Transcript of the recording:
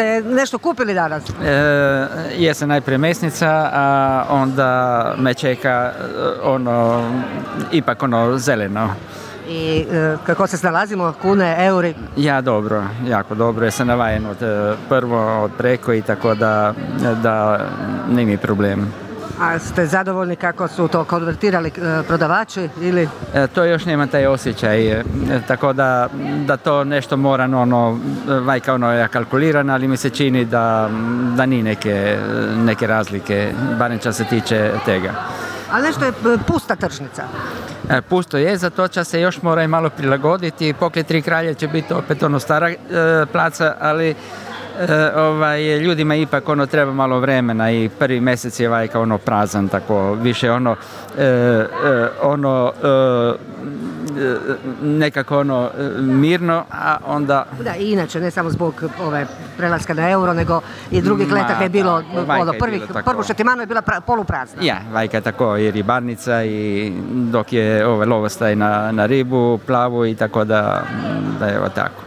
Ste nešto kupili danas? Jesam najprije mesnica, a onda me čeka ipak zeleno. I kako se snalazimo, kune, euri? Ja dobro, jako dobro, jer sam navajen prvo od preko i tako da nije mi problem. A ste zadovoljni kako su to konvertirali prodavači ili? To još nema taj osjećaj, tako da to nešto mora vajka ja kalkuliran, ali mi se čini da nije neke razlike, barem što se tiče tega. Ali nešto je pusta tržnica. Pusto je, zato će se još mora i malo prilagoditi. Pokrije Tri kralje će biti opet stara placa, ali ljudima ipak treba malo vremena i prvi mjesec je vajka prazan, tako više nekako mirno, a onda... Da, i inače, ne samo zbog prelaska na euro, nego i drugih letaka je bilo, prvu šetimanu je bila poluprazna. Ja, vajka je tako i ribarnica i dok je lovostaj na ribu, plavu i tako da je tako.